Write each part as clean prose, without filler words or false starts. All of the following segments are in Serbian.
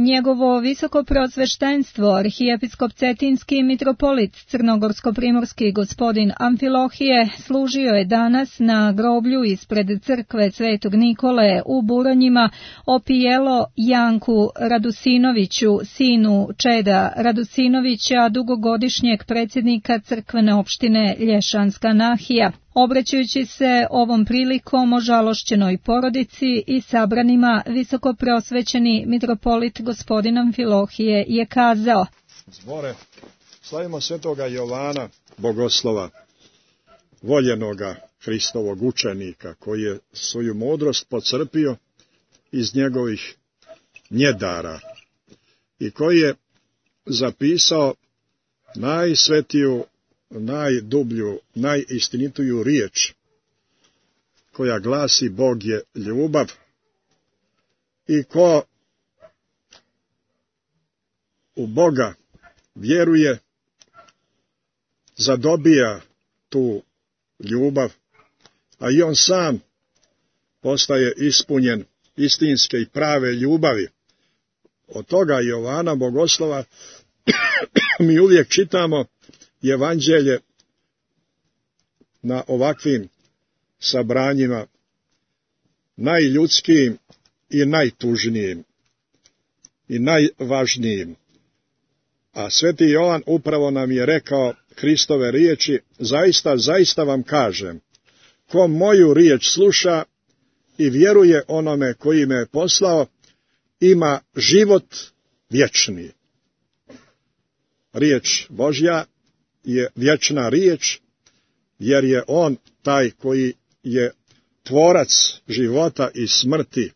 Njegovo visokopreosveštenstvo, arhijepiskop Cetinski mitropolit Crnogorsko-primorski gospodin Amfilohije, služio je danas na groblju ispred crkve Svetog Nikole u Buronjima opijelo Janku Radusinoviću, sinu Čeda Radusinovića, dugogodišnjeg predsjednika crkvene opštine Lješanska Nahija. Obraćajući se ovom prilikom ožalošćenoj porodici i sabranima, visokopreosvećeni mitropolit gospodin Amfilohije je kazao: Zbore, slavimo svetoga Jovana Bogoslova, voljenoga Hristovog učenika, koji je svoju mudrost pocrpio iz njegovih njedara i koji je zapisao najsvetiju, najdublju, najistinitiju riječ, koja glasi Bog je ljubav, i ko u Boga vjeruje, zadobija tu ljubav, a i on sam postaje ispunjen istinske i prave ljubavi. Od toga Jovana Bogoslova mi uvijek čitamo evanđelje na ovakvim sabranjima, najljudskijim i najtužnijim i najvažnijim. A sveti Jovan upravo nam je rekao Hristove riječi: zaista, zaista vam kažem, ko moju riječ sluša i vjeruje onome koji me je poslao, ima život vječni. Riječ Božja je vječna riječ, jer je on taj koji je tvorac života i smrti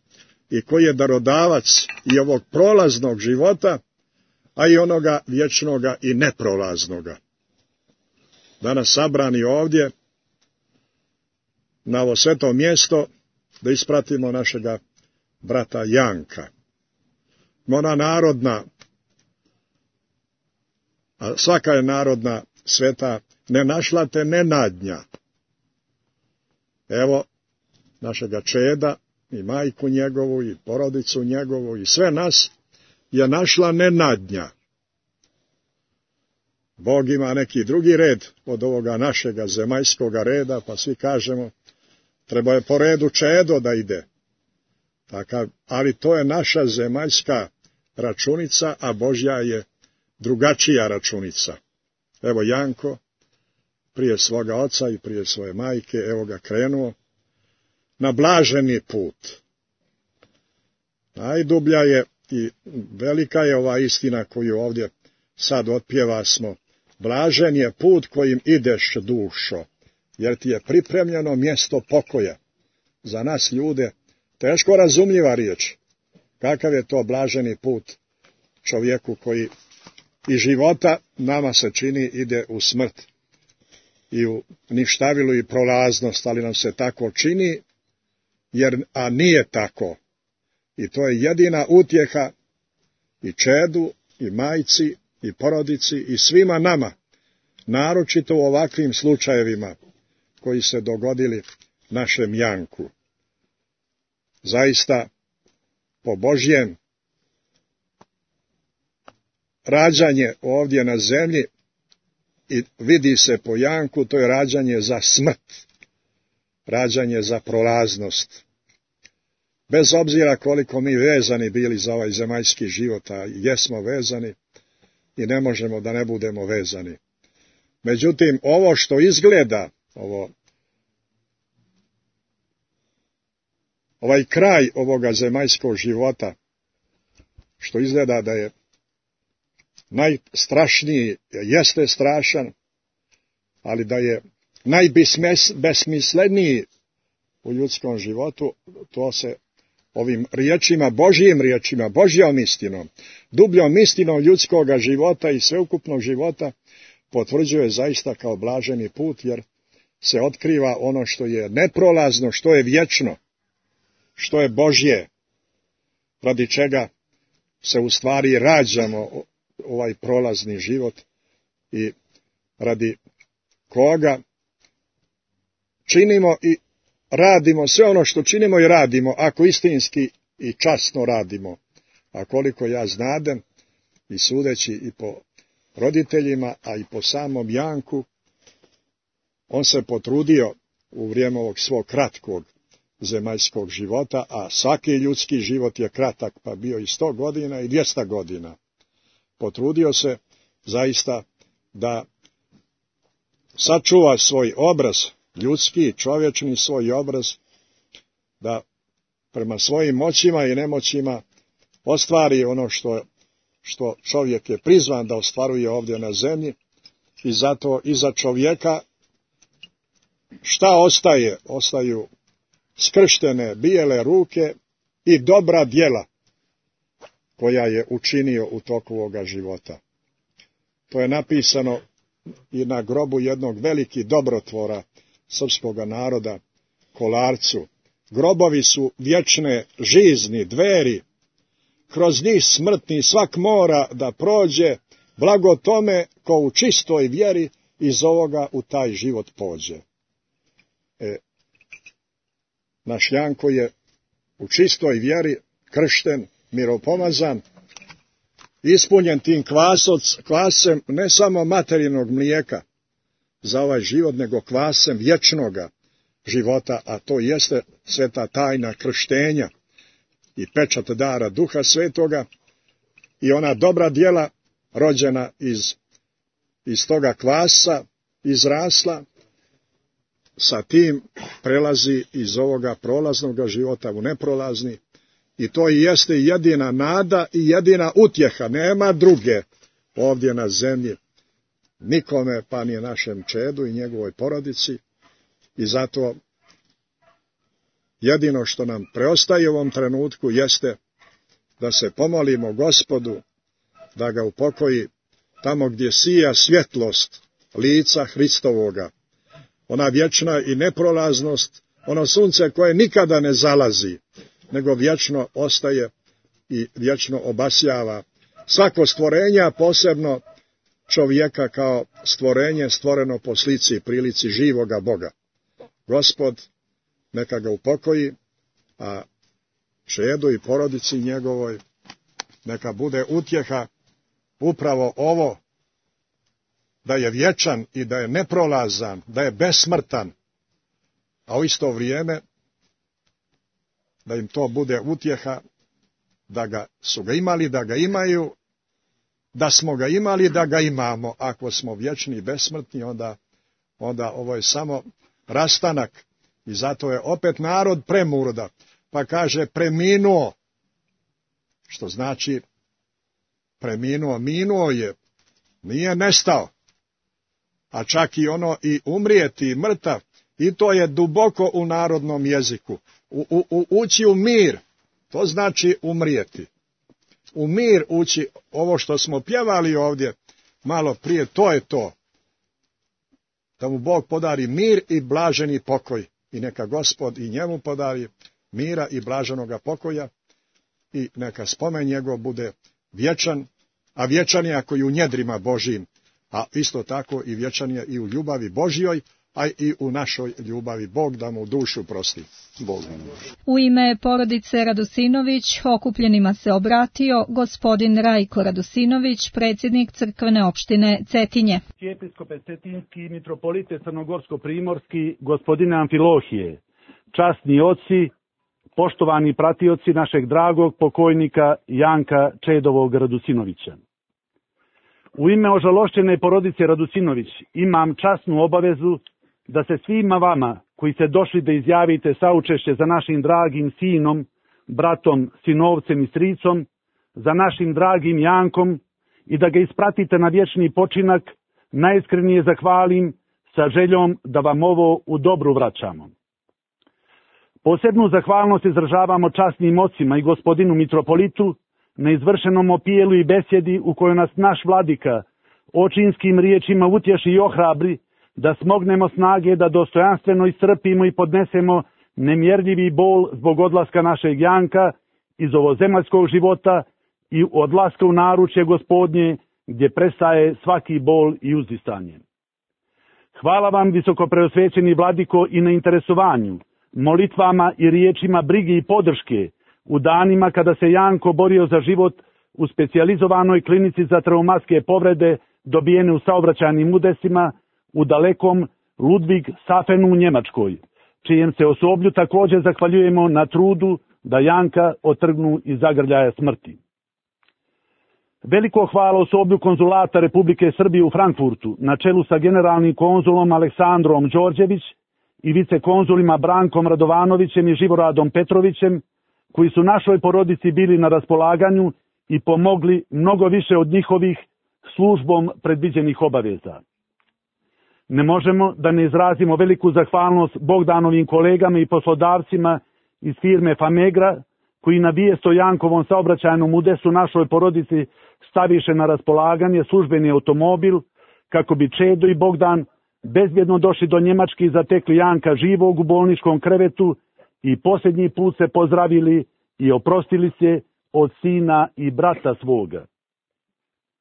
i koji je darodavac i ovog prolaznog života, a i onoga vječnoga i neprolaznoga. Danas sabrani ovdje na ovo sveto mjesto da ispratimo našega brata Janka. Ona narodna, a svaka je narodna sveta, ne našla te nenadnja. Evo našega Čeda i majku njegovu i porodicu njegovu i sve nas je našla nenadnja. Bog ima neki drugi red od ovoga našega zemaljskoga reda, pa svi kažemo treba je po redu Čedo da ide. Takav, ali to je naša zemaljska računica, a Božja je drugačija računica. Evo Janko, prije svoga oca i prije svoje majke, evo ga krenuo na blaženi put. Najdublja je i velika je ova istina koju ovdje sad otpjevasmo. Blažen je put kojim ideš, dušo, jer ti je pripremljeno mjesto pokoja. Za nas ljude teško razumljiva riječ. Kakav je to blaženi put čovjeku koji i života nama se čini ide u smrt i u ništavilu i prolaznost, ali nam se tako čini, a nije tako. I to je jedina utjeha i Čedu, i majci, i porodici, i svima nama, naročito u ovakvim slučajevima koji se dogodili našem Janku. Zaista, po Božjem rađanje ovdje na zemlji, i vidi se po Janku, to je rađanje za smrt, rađanje za prolaznost. Bez obzira koliko mi vezani bili za ovaj zemaljski život, a jesmo vezani i ne možemo da ne budemo vezani. Međutim, ovo što izgleda, ovaj kraj ovoga zemaljskog života, što izgleda da je najstrašniji, jeste strašan, ali da je najbesmisleniji u ljudskom životu, to se ovim riječima, Božjim riječima, Božjom istinom, dubljom istinom ljudskoga života i sveukupnog života potvrđuje zaista kao blaženi put, jer se otkriva ono što je neprolazno, što je vječno, što je Božje, radi čega se u stvari rađamo ovaj prolazni život i radi koga činimo i radimo sve ono što činimo i radimo, ako istinski i časno radimo, A koliko ja znadem, i sudeći i po roditeljima, a i po samom Janku, on se potrudio u vrijeme ovog svog kratkog zemaljskog života, a svaki ljudski život je kratak, pa bio i 100 godina i 200 godina. Potrudio se zaista da sačuva svoj obraz, ljudski, čovječni svoj obraz, da prema svojim moćima i nemoćima ostvari ono što čovjek je prizvan da ostvaruje ovdje na zemlji, i zato iza čovjeka šta ostaje? Ostaju skrštene bijele ruke i dobra djela koja je učinio u toku ovoga života. To je napisano i na grobu jednog velikih dobrotvora srpskoga naroda, Kolarcu. Grobovi su vječne žizni, dveri, kroz njih smrtni svak mora da prođe, blago tome ko u čistoj vjeri iz ovoga u taj život pođe. Naš Janko je u čistoj vjeri kršten, miropomazan, ispunjen tim kvasem ne samo materinog mlijeka za ovaj život, nego kvasem vječnoga života, a to jeste sveta tajna krštenja i pečat dara Duha Svetoga, i ona dobra djela rođena iz toga kvasa, izrasla, sa tim prelazi iz ovoga prolaznog života u neprolazni, i to i jeste jedina nada i jedina utjeha, nema druge ovdje na zemlji, nikome, pa ni našem čedu i njegovoj porodici. I zato jedino što nam preostaje u ovom trenutku jeste da se pomolimo Gospodu da ga upokoji tamo gdje sija svjetlost lica Hristovoga, ona vječna i neprolaznost, ono sunce koje nikada ne zalazi, nego vječno ostaje i vječno obasjava svako stvorenje, a posebno čovjeka kao stvorenje stvoreno po slici i prilici živoga Boga. Gospod neka ga upokoji, a čedu i porodici njegovoj neka bude utjeha upravo ovo, da je vječan i da je neprolazan, da je besmrtan, a u isto vrijeme da im to bude utjeha da su ga imali, da ga imaju, da smo ga imali, da ga imamo. Ako smo vječni i besmrtni, onda ovo je samo rastanak, i zato je opet narod premurda, pa kaže preminuo, što znači preminuo, minuo je, nije nestao, a čak i ono i umrijeti, i mrtav, i to je duboko u narodnom jeziku. Ući u mir, to znači umrijeti. U mir ući, ovo što smo pjevali ovdje malo prije, to je to. Da mu Bog podari mir i blaženi pokoj. I neka Gospod i njemu podari mira i blaženoga pokoja, i neka spomen njegov bude vječan, a vječan je ako i u njedrima Božijim, a isto tako i vječan je i u ljubavi Božjoj, a i u našoj ljubavi. Bog da mu dušu prosti. Bog. U ime porodice Radosinović okupljenima se obratio gospodin Rajko Radosinović, predsjednik crkvene opštine Cetinje. Episkope Cetinski i mitropolite Crnogorsko-primorski, gospodine Amfilohije, časni oci, poštovani pratioci našeg dragog pokojnika Janka Čedovog Radosinovića. U ime ožalošćene porodice Radosinović imam časnu obavezu da se svima vama koji ste došli da izjavite saučešće za našim dragim sinom, bratom, sinovcem i stricom, za našim dragim Jankom, i da ga ispratite na vječni počinak, najiskrenije zahvalim sa željom da vam ovo u dobru vraćamo. Posebnu zahvalnost izražavamo časnim ocima i gospodinu mitropolitu na izvršenom opijelu i besjedi u kojoj nas naš vladika očinskim riječima utješi i ohrabri da smognemo snage da dostojanstveno iscrpimo i podnesemo nemjerljivi bol zbog odlaska našeg Janka iz ovozemaljskog života i odlaska u naručje Gospodnje, gdje prestaje svaki bol i uzdisanje. Hvala vam, visokopreosvećeni vladiko, i na interesovanju, molitvama i riječima brige i podrške u danima kada se Janko borio za život u specijalizovanoj klinici za traumatske povrede dobijene u saobraćajnim udesima u dalekom Ludwigshafenu u Njemačkoj, čijem se osoblju također zahvaljujemo na trudu da Janka otrgnu iz zagrljaja smrti. Veliko hvala osoblju konzulata Republike Srbije u Frankfurtu na čelu sa generalnim konzulom Aleksandrom Đorđević i vicekonzulima Brankom Radovanovićem i Živoradom Petrovićem, koji su našoj porodici bili na raspolaganju i pomogli mnogo više od njihovih službom predviđenih obaveza. Ne možemo da ne izrazimo veliku zahvalnost Bogdanovim kolegama i poslodavcima iz firme Famegra, koji na vijest o Jankovom saobraćajnom udesu našoj porodici staviše na raspolaganje službeni automobil, kako bi Čedo i Bogdan bezbjedno došli do Njemačke i zatekli Janka živog u bolničkom krevetu i posljednji put se pozdravili i oprostili se od sina i brata svoga.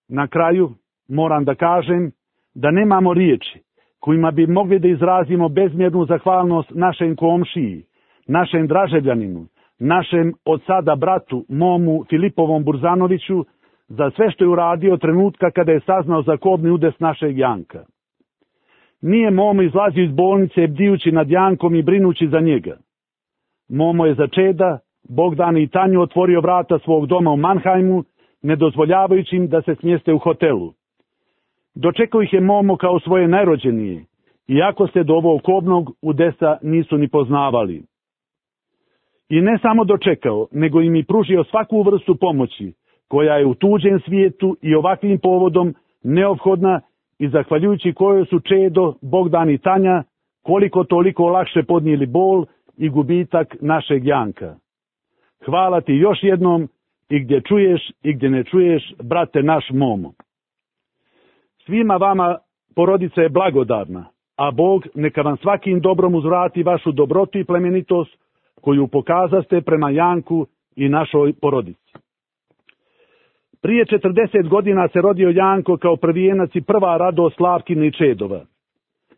Na kraju moram da kažem da nemamo riječi kojima bi mogli da izrazimo bezmjernu zahvalnost našem komšiji, našem Draževljaninu, našem od sada bratu, momu Filipovom Burzanoviću, za sve što je uradio trenutka kada je saznao za kobni udes našeg Janka. Nije Momo izlazio iz bolnice bdijući nad Jankom i brinući za njega. Momo je za Čeda, Bogdana i Tanju otvorio vrata svog doma u Mannheimu, ne dozvoljavajući im da se smjeste u hotelu. Dočekao ih je Momo kao svoje najrođenije, iako se do ovog kobnog udesa nisu ni poznavali. I ne samo dočekao, nego im i pružio svaku vrstu pomoći, koja je u tuđem svijetu i ovakvim povodom neophodna i zahvaljujući kojoj su Čedo, Bogdan i Tanja koliko toliko lakše podnijeli bol i gubitak našeg Janka. Hvala ti još jednom i gdje čuješ i gdje ne čuješ, brate naš Momo. Svima vama porodica je blagodarna, a Bog neka vam svakim dobrom uzvrati vašu dobrotu i plemenitost koju pokazaste prema Janku i našoj porodici. Prije 40 godina se rodio Janko kao prvijenac i prva radost Slavkina i Čedova.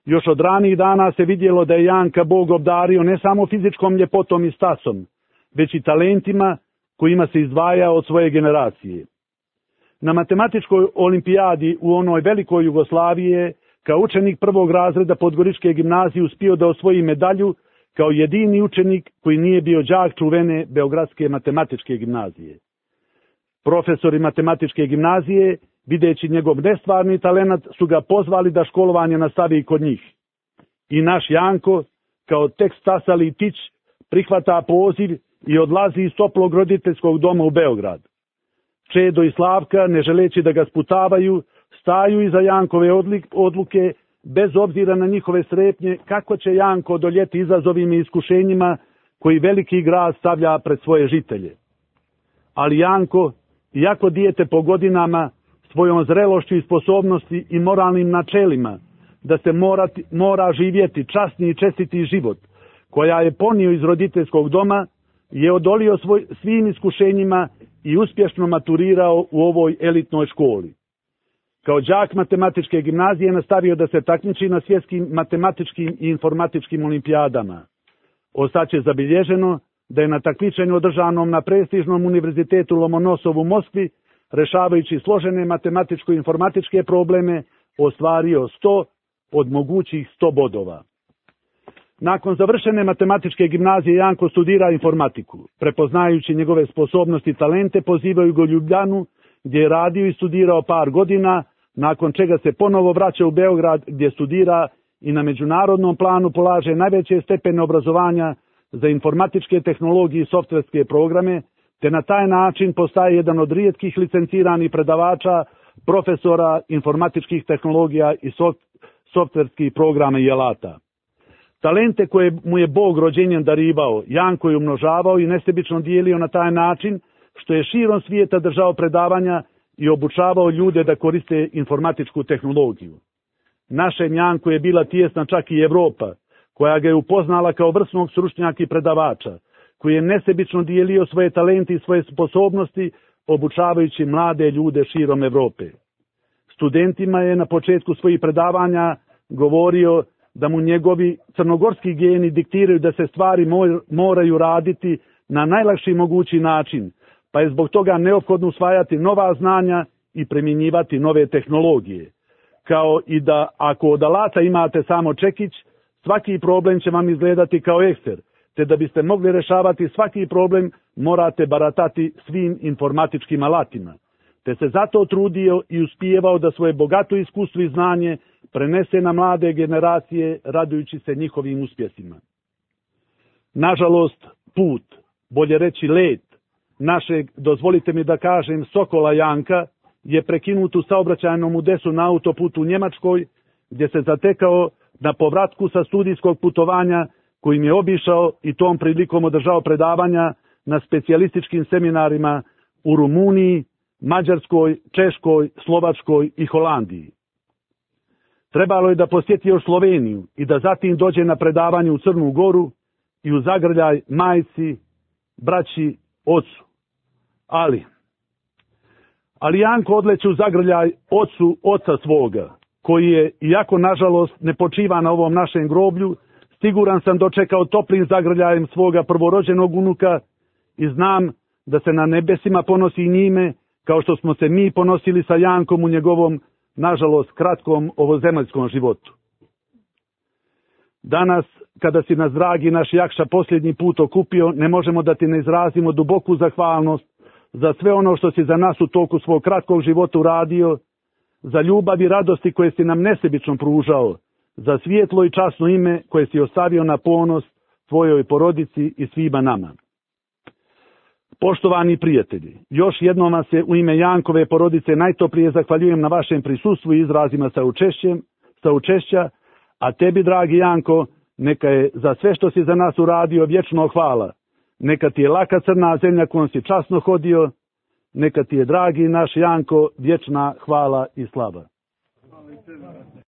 Još od ranijih dana se vidjelo da je Janka Bog obdario ne samo fizičkom ljepotom i stasom, već i talentima kojima se izdvaja od svoje generacije. Na matematičkoj olimpijadi u onoj velikoj Jugoslaviji kao učenik prvog razreda Podgoričke gimnazije uspio da osvoji medalju kao jedini učenik koji nije bio đak čuvene Beogradske matematičke gimnazije. Profesori matematičke gimnazije, videći njegov nestvarni talenat, su ga pozvali da školovanje nastavi kod njih. I naš Janko, kao tek stasali tić, prihvata poziv i odlazi iz toplog roditeljskog doma u Beograd. Čedo i Slavka, ne želeći da ga sputavaju, staju iza Jankove odluke, bez obzira na njihove strepnje, kako će Janko odoljeti izazovima i iskušenjima koji veliki grad stavlja pred svoje žitelje. Ali Janko, iako dijete po godinama, svojom zrelošću i sposobnosti i moralnim načelima, da se mora živjeti časni i čestiti život, koja je ponio iz roditeljskog doma, je odolio svim iskušenjima i uspješno maturirao u ovoj elitnoj školi. Kao đak matematičke gimnazije nastavio da se takmiči na svjetskim matematičkim i informatičkim olimpijadama. Ostaće zabilježeno da je na takmičenju održanom na prestižnom univerzitetu Lomonosov u Moskvi, rešavajući složene matematičko-informatičke probleme, ostvario 100 od mogućih 100 bodova. Nakon završene matematičke gimnazije Janko studira informatiku. Prepoznajući njegove sposobnosti i talente, pozivaju ga u Ljubljanu, gdje je radio i studirao par godina, nakon čega se ponovo vraća u Beograd, gdje studira i na međunarodnom planu polaže najveće stepene obrazovanja za informatičke tehnologije i softverske programe, te na taj način postaje jedan od rijetkih licenciranih predavača, profesora informatičkih tehnologija i softverskih programa i alata. Talente koje mu je Bog rođenjem darivao, Janko je umnožavao i nesebično dijelio na taj način što je širom svijeta držao predavanja i obučavao ljude da koriste informatičku tehnologiju. Našem Janku je bila tijesna čak i Evropa, koja ga je upoznala kao vrsnog stručnjaka i predavača, koji je nesebično dijelio svoje talente i svoje sposobnosti, obučavajući mlade ljude širom Evrope. Studentima je na početku svojih predavanja govorio da mu njegovi crnogorski geni diktiraju da se stvari moraju raditi na najlakši mogući način, pa je zbog toga neophodno usvajati nova znanja i primjenjivati nove tehnologije. Kao i da ako od alata imate samo čekić, svaki problem će vam izgledati kao ekser, te da biste mogli rešavati svaki problem morate baratati svim informatičkim alatima. Te se zato trudio i uspijevao da svoje bogato iskustvo i znanje prenese na mlade generacije radujući se njihovim uspjesima. Nažalost, put, bolje reći let, našeg, dozvolite mi da kažem, Sokola Janka je prekinut u saobraćajnom udesu na autoputu u Njemačkoj, gdje se zatekao na povratku sa studijskog putovanja kojim je obišao i tom prilikom održao predavanja na specijalističkim seminarima u Rumuniji, Mađarskoj, Češkoj, Slovačkoj i Holandiji. Trebalo je da posjeti još Sloveniju i da zatim dođe na predavanje u Crnu Goru i u zagrljaj majci, braći, ocu. Ali Janko odleće u zagrljaj ocu oca svoga, koji je, iako nažalost ne počiva na ovom našem groblju, siguran sam dočekao toplim zagrljajem svoga prvorođenog unuka i znam da se na nebesima ponosi i njime, kao što smo se mi ponosili sa Jankom u njegovom, nažalost, kratkom ovozemaljskom životu. Danas, kada si nas, dragi naš Jakša, posljednji put okupio, ne možemo da ti ne izrazimo duboku zahvalnost za sve ono što si za nas u toku svog kratkog života uradio, za ljubav i radosti koje si nam nesebično pružao, za svijetlo i časno ime koje si ostavio na ponos tvojoj porodici i svima nama. Poštovani prijatelji, još jednom vas se u ime Jankove porodice najtoplije zahvaljujem na vašem prisustvu i izrazima saučešća, a tebi, dragi Janko, neka je za sve što si za nas uradio vječno hvala. Neka ti je laka crna zemlja kojom si časno hodio, neka ti je, dragi naš Janko, vječna hvala i slava.